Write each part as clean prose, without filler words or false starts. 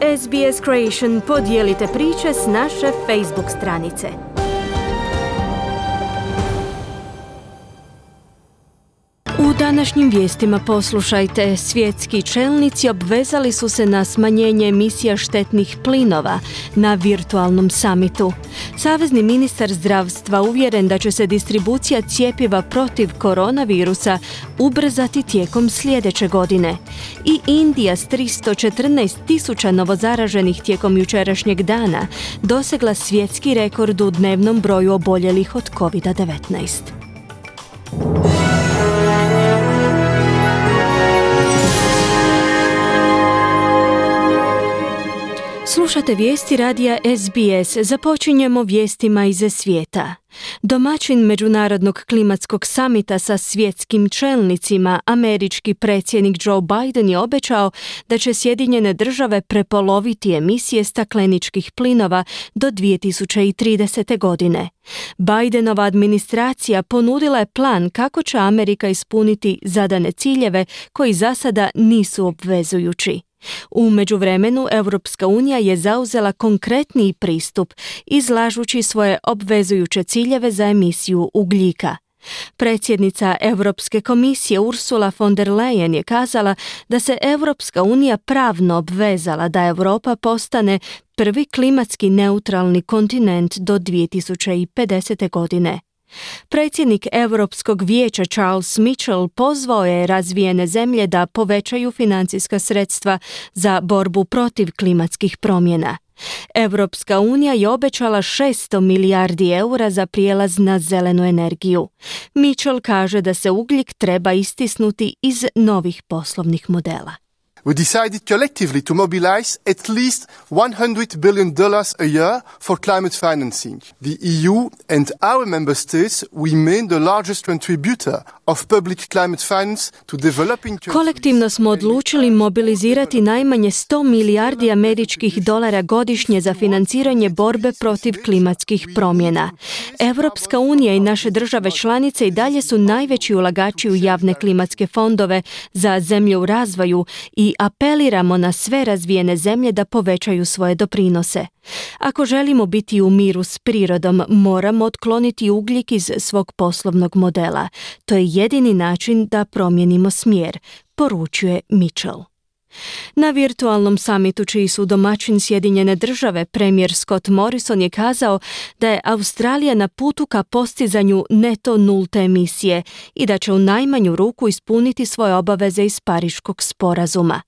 SBS Creation, podijelite priče s naše Facebook stranice. U današnjim vijestima poslušajte, svjetski čelnici obvezali su se na smanjenje emisija štetnih plinova na virtualnom samitu. Savezni ministar zdravstva uvjeren da će se distribucija cjepiva protiv koronavirusa ubrzati tijekom sljedeće godine. I Indija s 314.000 novozaraženih tijekom jučerašnjeg dana dosegla svjetski rekord u dnevnom broju oboljelih od COVID-19. Slušate vijesti radija SBS. Započinjemo vijestima iz svijeta. Domaćin Međunarodnog klimatskog samita sa svjetskim čelnicima, američki predsjednik Joe Biden je obećao da će Sjedinjene države prepoloviti emisije stakleničkih plinova do 2030. godine. Bidenova administracija ponudila je plan kako će Amerika ispuniti zadane ciljeve koji za sada nisu obvezujući. U međuvremenu, Europska unija je zauzela konkretniji pristup, izlažući svoje obvezujuće ciljeve za emisiju ugljika. Predsjednica Europske komisije Ursula von der Leyen je kazala da se Europska unija pravno obvezala da Europa postane prvi klimatski neutralni kontinent do 2050. godine. Predsjednik Europskog vijeća Charles Michel pozvao je razvijene zemlje da povećaju financijska sredstva za borbu protiv klimatskih promjena. Europska unija je obećala 600 milijardi eura za prijelaz na zelenu energiju. Michel kaže da se ugljik treba istisnuti iz novih poslovnih modela. We decided collectively to mobilize at least $100 billion a year for climate financing. The EU and our member states remain the largest contributor of public climate finance to developing countries. Kolektivno smo odlučili mobilizirati najmanje 100 milijardi američkih dolara godišnje za financiranje borbe protiv klimatskih promjena. Europska unija i naše države članice i dalje su najveći ulagači u javne klimatske fondove za zemlje u razvoju i apeliramo na sve razvijene zemlje da povećaju svoje doprinose. Ako želimo biti u miru s prirodom, moramo otkloniti ugljik iz svog poslovnog modela. To je jedini način da promijenimo smjer, poručuje Mitchell. Na virtualnom samitu, čiji su domaćin Sjedinjene države, premijer Scott Morrison je kazao da je Australija na putu ka postizanju neto nulte emisije i da će u najmanju ruku ispuniti svoje obaveze iz Pariškog sporazuma.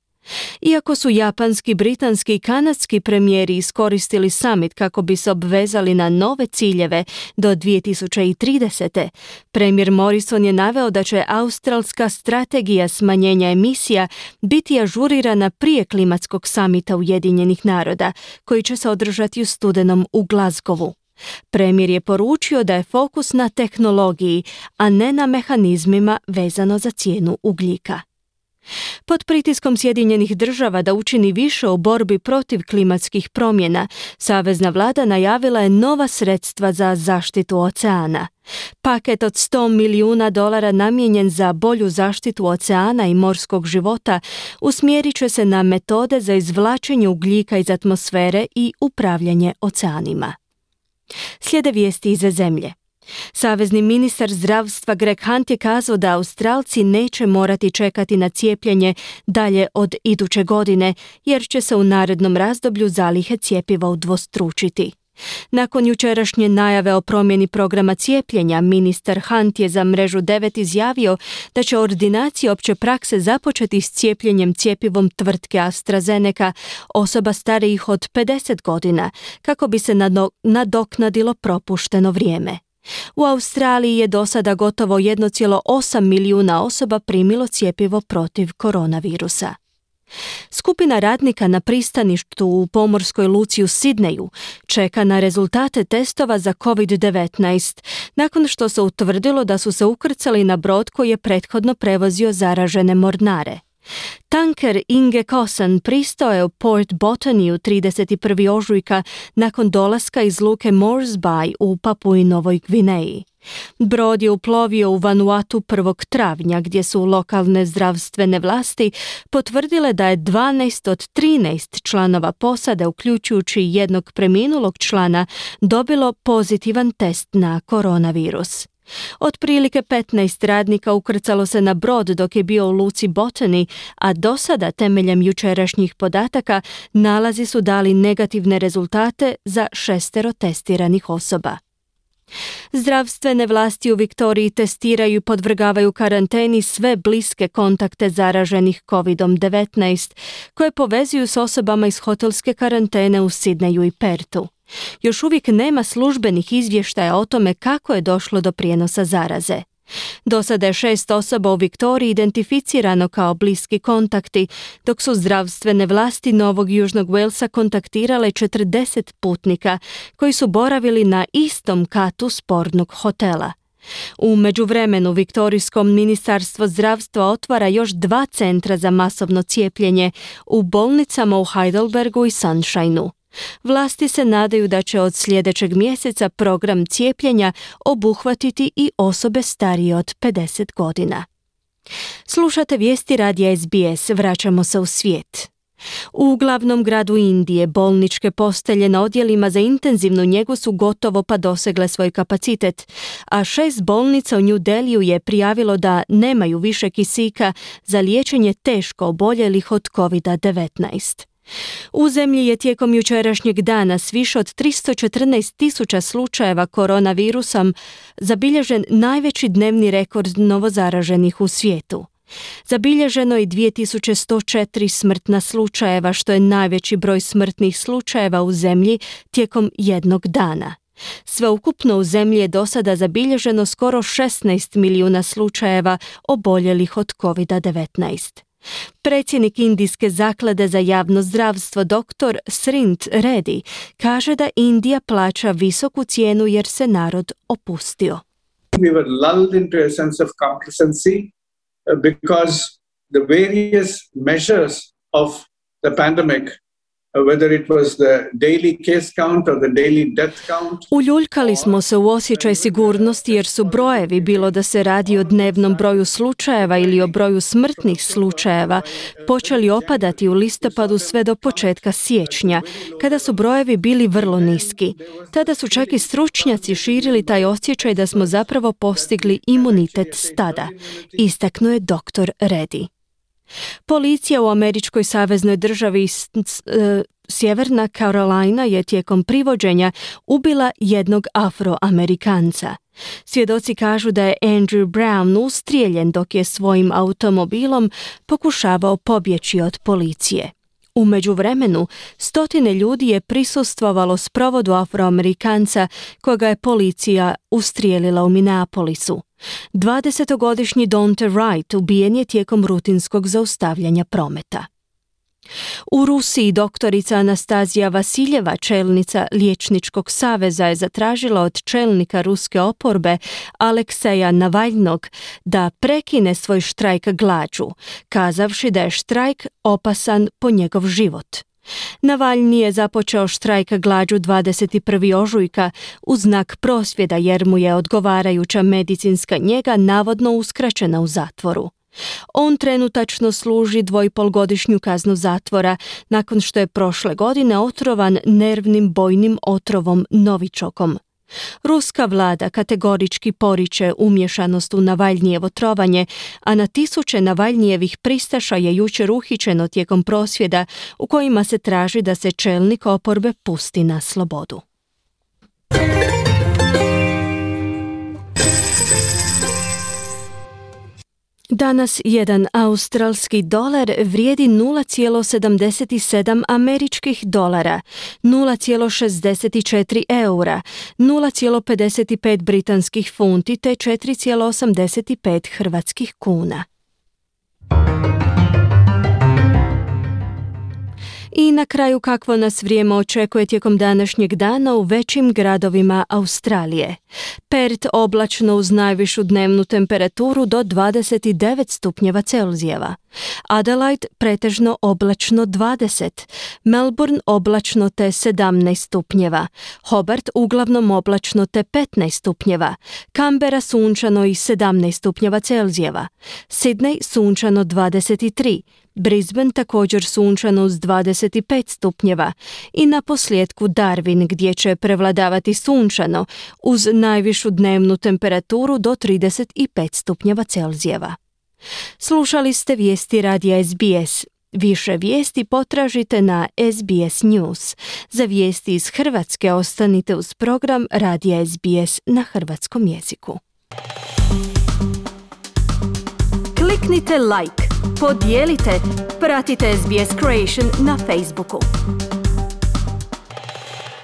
Iako su japanski, britanski i kanadski premijeri iskoristili summit kako bi se obvezali na nove ciljeve do 2030. Premijer Morrison je naveo da će australska strategija smanjenja emisija biti ažurirana prije klimatskog samita Ujedinjenih naroda, koji će se održati u studenom u Glasgowu. Premijer je poručio da je fokus na tehnologiji, a ne na mehanizmima vezano za cijenu ugljika. Pod pritiskom Sjedinjenih država da učini više u borbi protiv klimatskih promjena, savezna vlada najavila je nova sredstva za zaštitu oceana. Paket od $100 milijuna namijenjen za bolju zaštitu oceana i morskog života usmjerit će se na metode za izvlačenje ugljika iz atmosfere i upravljanje oceanima. Slijede vijesti iz zemlje. Savezni ministar zdravstva Greg Hunt je kazao da Australci neće morati čekati na cijepljenje dalje od iduće godine, jer će se u narednom razdoblju zalihe cjepiva udvostručiti. Nakon jučerašnje najave o promjeni programa cijepljenja, ministar Hunt je za Mrežu 9 izjavio da će ordinacije opće prakse započeti s cijepljenjem cjepivom tvrtke AstraZeneca osoba starijih od 50 godina, kako bi se nadoknadilo propušteno vrijeme. U Australiji je do sada gotovo 1,8 milijuna osoba primilo cjepivo protiv koronavirusa. Skupina radnika na pristaništu u pomorskoj luci u Sidneju čeka na rezultate testova za COVID-19 nakon što se utvrdilo da su se ukrcali na brod koji je prethodno prevozio zaražene mornare. Tanker Inge Kosan pristao je u Port Botany u 31. ožujka nakon dolaska iz luke Morse Bay u Papui Novoj Gvineji. Brod je uplovio u Vanuatu 1. travnja gdje su lokalne zdravstvene vlasti potvrdile da je 12 od 13 članova posade, uključujući jednog preminulog člana, dobilo pozitivan test na koronavirus. Otprilike 15 radnika ukrcalo se na brod dok je bio u luci Botany, a do sada, temeljem jučerašnjih podataka, nalazi su dali negativne rezultate za 6 testiranih osoba. Zdravstvene vlasti u Viktoriji testiraju i podvrgavaju karanteni sve bliske kontakte zaraženih COVID-19, koje povezuju s osobama iz hotelske karantene u Sidneju i Pertu. Još uvijek nema službenih izvještaja o tome kako je došlo do prijenosa zaraze. Do sada je 6 osoba u Viktoriji identificirano kao bliski kontakti, dok su zdravstvene vlasti Novog Južnog Walesa kontaktirale 40 putnika koji su boravili na istom katu spornog hotela. U međuvremenu Viktorijsko ministarstvo zdravstva otvara još 2 centra za masovno cijepljenje u bolnicama u Heidelbergu i Sunshineu. Vlasti se nadaju da će od sljedećeg mjeseca program cijepljenja obuhvatiti i osobe starije od 50 godina. Slušate vijesti radija SBS, vraćamo se u svijet. U glavnom gradu Indije bolničke postelje na odjelima za intenzivnu njegu su gotovo pa dosegle svoj kapacitet, a 6 bolnica u New Delhiju je prijavilo da nemaju više kisika za liječenje teško oboljelih od COVID-19. U zemlji je tijekom jučerašnjeg dana s više od 314.000 slučajeva koronavirusom zabilježen najveći dnevni rekord novozaraženih u svijetu. Zabilježeno je 2104 smrtna slučajeva, što je najveći broj smrtnih slučajeva u zemlji tijekom jednog dana. Sveukupno u zemlji je do sada zabilježeno skoro 16 milijuna slučajeva oboljelih od COVID-19. Predsjednik Indijske zaklade za javno zdravstvo dr. Srint Reddy kaže da Indija plaća visoku cijenu jer se narod opustio. We were lulled into a sense of complacency because the various measures of the pandemic, whether it was the daily case count or the daily death count. Uljuljkali smo se u osjećaj sigurnosti jer su brojevi, bilo da se radi o dnevnom broju slučajeva ili o broju smrtnih slučajeva, počeli opadati u listopadu sve do početka siječnja, kada su brojevi bili vrlo niski. Tada su čak i stručnjaci širili taj osjećaj da smo zapravo postigli imunitet stada, istaknuo je dr. Reddy. Policija u američkoj saveznoj državi Sjeverna Carolina je tijekom privođenja ubila jednog Afroamerikanca. Svjedoci kažu da je Andrew Brown ustrijeljen dok je svojim automobilom pokušavao pobjeći od policije. U međuvremenu, stotine ljudi je prisustvovalo sprovodu Afroamerikanca koga je policija ustrijelila u Minneapolisu. 20-godišnji Daunte Wright ubijen je tijekom rutinskog zaustavljanja prometa. U Rusiji doktorica Anastazija Vasiljeva, čelnica Liječničkog saveza, je zatražila od čelnika ruske oporbe Alekseja Navalnog da prekine svoj štrajk glađu, kazavši da je štrajk opasan po njegov život. Navalni je započeo štrajk glađu 21. ožujka u znak prosvjeda jer mu je odgovarajuća medicinska njega navodno uskraćena u zatvoru. On trenutačno služi 2,5-godišnju kaznu zatvora nakon što je prošle godine otrovan nervnim bojnim otrovom Novičokom. Ruska vlada kategorički poriče umješanost u Navalnijevo trovanje, a na tisuće Navalnijevih pristaša je jučer uhićeno tijekom prosvjeda u kojima se traži da se čelnik oporbe pusti na slobodu. Danas jedan australski dolar vrijedi 0,77 američkih dolara, 0,64 eura, 0,55 britanskih funti te 4,85 hrvatskih kuna. I na kraju kakvo nas vrijeme očekuje tijekom današnjeg dana u većim gradovima Australije. Perth oblačno uz najvišu dnevnu temperaturu do 29 stupnjeva Celzijeva. Adelaide pretežno oblačno 20. Melbourne oblačno te 17 stupnjeva. Hobart uglavnom oblačno te 15 stupnjeva. Canberra sunčano i 17 stupnjeva Celzijeva. Sydney sunčano 23. Brisbane također sunčano uz 25 stupnjeva i na posljedku Darwin gdje će prevladavati sunčano uz najvišu dnevnu temperaturu do 35 stupnjeva Celzijeva. Slušali ste vijesti radija SBS. Više vijesti potražite na SBS News. Za vijesti iz Hrvatske ostanite uz program radija SBS na hrvatskom jeziku. Kliknite like, podijelite, pratite SBS Creation na Facebooku.